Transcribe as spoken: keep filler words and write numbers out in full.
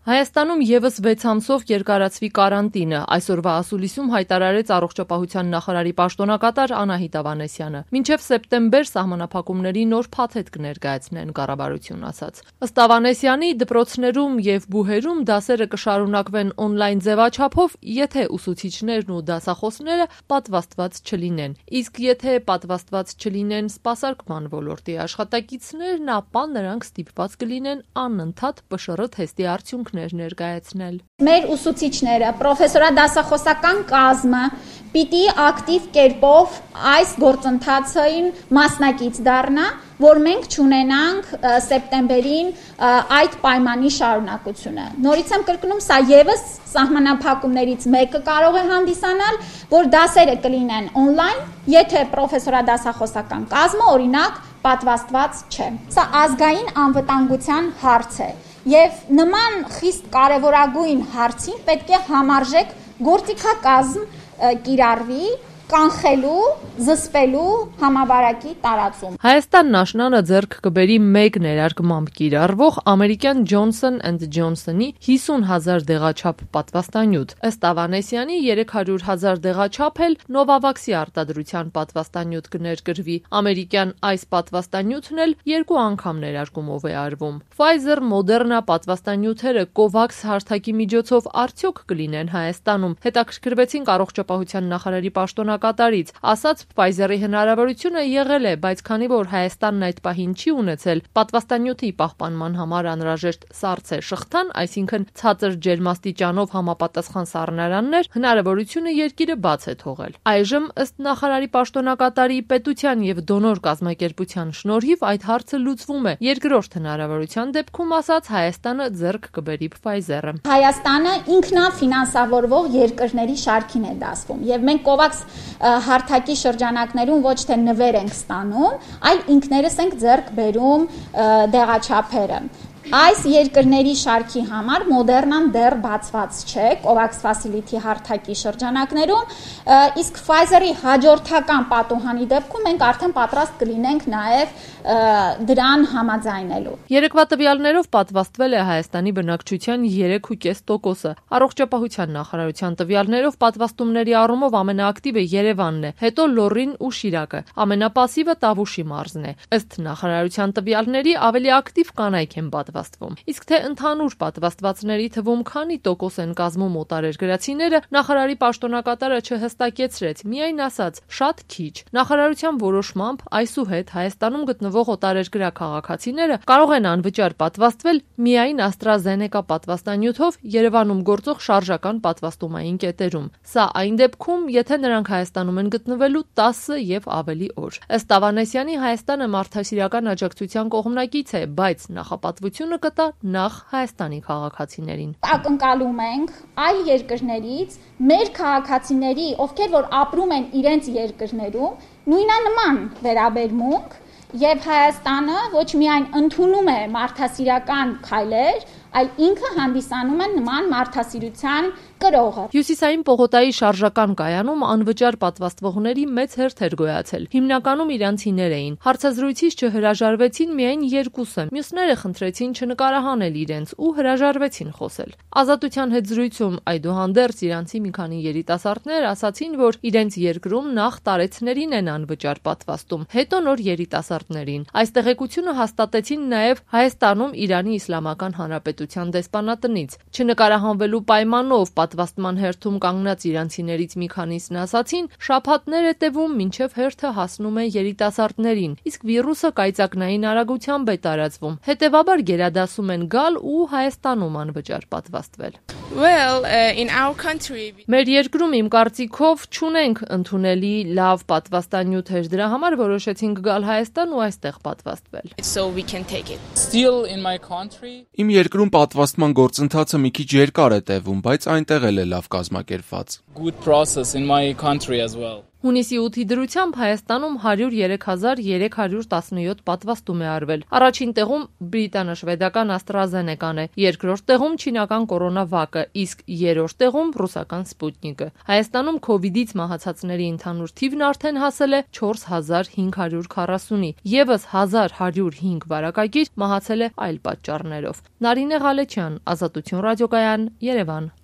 Հայաստանում ևս վեց ամսով երկարացվի կարանտինը, այսօրվա ասուլիսում հայտարարեց առողջապահության նախարարի պաշտոնակատար Անահիտ Ավանեսյանը։ Մինչև սեպտեմբեր սահմանափակումների նոր փաթեթ կներկայացնեն, կառավարություն ասաց։ Ըստ Ավանեսյանի, դպրոցներում եւ բուհերում դասերը կշարունակվեն օնլայն ձևաչափով, եթե ուսուցիչներն ու դասախոսները պատվաստված չլինեն։ Իսկ եթե պատվաստված չլինեն սպասարկման ոլորտի աշխատակիցներն, ապա նրանք ստիպված կլինեն անընդհատ Պ Շ R թեստի արդյունքներ ներկայացնել։ Մեր ուսուցիչները, պրոֆեսորադասախոսական կազմը պիտի ակտիվ կերպով այս գործընթացին մասնակից դառնա, որ մենք չունենանք սեպտեմբերին այդ պայմանի շարունակությունը։ Նորից եմ կրկնում, սա ևս սահմանափակումներից մեկը կարող է հանդիսանալ, որ դասերը կլինեն օնլայն, եթե պրոֆեսորադասախոսական կազմը, օրինակ, պատվաստված չէ։ Սա ազգային անվտանգության հարց է։ Եվ նման խիստ կարևորագույն հարցին պետք է համարժեք գործիքակազմ կիրառվի կանխելու, զսպելու համավարակի տարածում։ Հայաստանն աշնանը ձեռք կբերի մեկ ներարկմամբ կիրառվող ամերիկյան Johnson and Johnson-ի հիսուն հազար դեղաչափ պատվաստանյութ։ Ըստ Ավանեսյանի երեք հարյուր հազար դեղաչափ էլ Novavax-ի արտադրության պատվաստանյութ կներկրվի։ Ամերիկյան այս պատվաստանյութն էլ երկու անգամ ներարկումով է արվում։ Pfizer, Moderna պատվաստանյութերը COVAX հարթակի միջոցով արդյոք կլինեն Հայաստանում։ Հետաքրքրվեցինք առողջապահության նախարարի պաշտոնակատարից, ասաց Pfizer-ի հնարավորությունը եղել է, բայց քանի որ Հայաստանն այդ պահին չի ունեցել պատվաստանյութի պահպանման համար անհրաժեշտ սառցե շղթան, այսինքն ցածր ջերմաստիճանով համապատասխան սառնարաններ, հնարավորությունը երկիրը բաց է թողել։ Այժմ ըստ նախարարի պաշտոնակատարի պետության եւ դոնոր կազմակերպության շնորհիվ այդ հարցը լուծվում է։ Երկրորդ հնարավորության դեպքում, ասաց, Հայաստանը ձեռք կբերի Pfizer-ը։ Հայաստանը ինքնաֆինանսավորվող երկրների շարքին է դասվում եւ մենք COVAX հարթակի շրջանակներում ոչ թե նվեր ենք ստանում, այլ ինքներս ենք ձեռք բերում դեղաչափերը։ Այս երկրների շարքի համար Moderna-ն դեռ բացված չէ COVAX Facility հարթակի շրջանակներում, իսկ Pfizer-ի հաջորդական պատուհանի դեպքում մենք արդեն պատրաստ կլինենք նաև դրան համաձայնելու։ Երեկվա տվյալներով պատվաստվել է Հայաստանի բնակչության երեք կόμμα պέντε տոկոսը։ Առողջապահության նախարարության տվյալներով պատվաստումների առումով ամենաակտիվը Երևանն է, հետո Լոռին ու Շիրակը, ամենապասիվը Տավուշի մարզն է։ Ըստ նախարարության տվյալների ավելի ակտիվ կանայք են պատվաստվում։ Իսկ թե ընդհանուր պատվաստվածների թվում քանի տոկոս են կազմում օտարերկրացիները, նախարարի պաշտոնակատարը չհստակեցրեց, միայն ասաց՝ շատ քիչ։ Նախարարության որոշմամբ այսուհետ Հայաստանում գտնվող օտարերկրյա քաղաքացիները կարող են անվճար պատվաստվել միայն AstraZeneca պատվաստանյութով Երևանում գործող շարժական պատվաստումային կետերում։ Սա այն դեպքում, եթե նրանք Հայաստանում են գտնվելու տասը եւ ավելի օր։ Ըստ Ավանեսյանի, Հայաստանը մարդասիրական աջակցության կողմնակից է, բայց նախապատվությունը կտա նախ Հայաստանի քաղաքացիներին։ Ակնկալում ենք այլ երկրներից մեր քաղաքացիների, ովքեր որ ապրում են իրենց երկրներում, նույնանման վերաբերմունք եւ Հայաստանը ոչ միայն ընդունում է մարդասիրական քայլեր, այլ ինքը հանդիսանում է նման մարդասիրության կրողը։ Հյուսիսային Պողոտայի շարժական կայանում անվճար պատվաստվողների մեծ հերթ էր գոյացել։ Հիմնականում իրանցիներ էին։ Հարցազրույցից չհրաժարվեցին միայն երկուսը։ Մյուսները խնդրեցին չնկարահանել իրենց ու հրաժարվեցին խոսել։ Ազատության հետ զրույցում այդուհանդերձ իրանցի մի քանի երիտասարդներ ասացին, որ իրենց երկրում նախ տարեցներին են անվճար պատվաստում, հետո նոր երիտասարդներին։ Այս տեղեկությունը հաստատեցին նաև Հայաստանում Իրանի Իսլամական Հանրապետության դեսպանատնից։ Չնկարահանվելու պայմանով պատվաստման հերթում կանգնած իրանցիներից մի քանիսն ասացին, շաբաթներ է տևում, մինչև հերթը հասնում է երիտասարդներին, իսկ վիրուսը կայծակնային արագությամբ է տարածվում։ Հետևաբար գերադասում են գալ ու Հայաստանում անվճար պատվաստվել։ Well, uh, in our country Մեր երկրում իմ կարծիքով չունենք ընդունելի լավ պատվաստանյութեր, դրա համար որոշեցինք գալ Հայաստան ու այստեղ պատվաստվել։ So we can take it. Still in my country. Իմ երկրում պատվաստման գործընթացը մի քիչ երկար է տևում, բայց այնտեղ էլ է լավ կազմակերպված։ Good process in my country as well. Հունիսի ութի դրությամբ Հայաստանում հարյուր երեք հազար երեք հարյուր տասնյոթ պատվաստում է արվել։ Առաջին տեղում բրիտանա-շվեդական AstraZeneca-ն է, երկրորդ տեղում չինական կորոնավակը, իսկ երրորդ տեղում ռուսական Sputnik-ը։ Հայաստանում քովիդից մահացածների ընդհանուր թիվն արդեն հասել է չորս հազար հինգ հարյուր քառասունի, եւս հազար հարյուր հինգ վարակագիր մահացել է այլ պատճառներով։ Նարինե Ղալեչյան, Ազատություն ռադիոկայան, Երևան։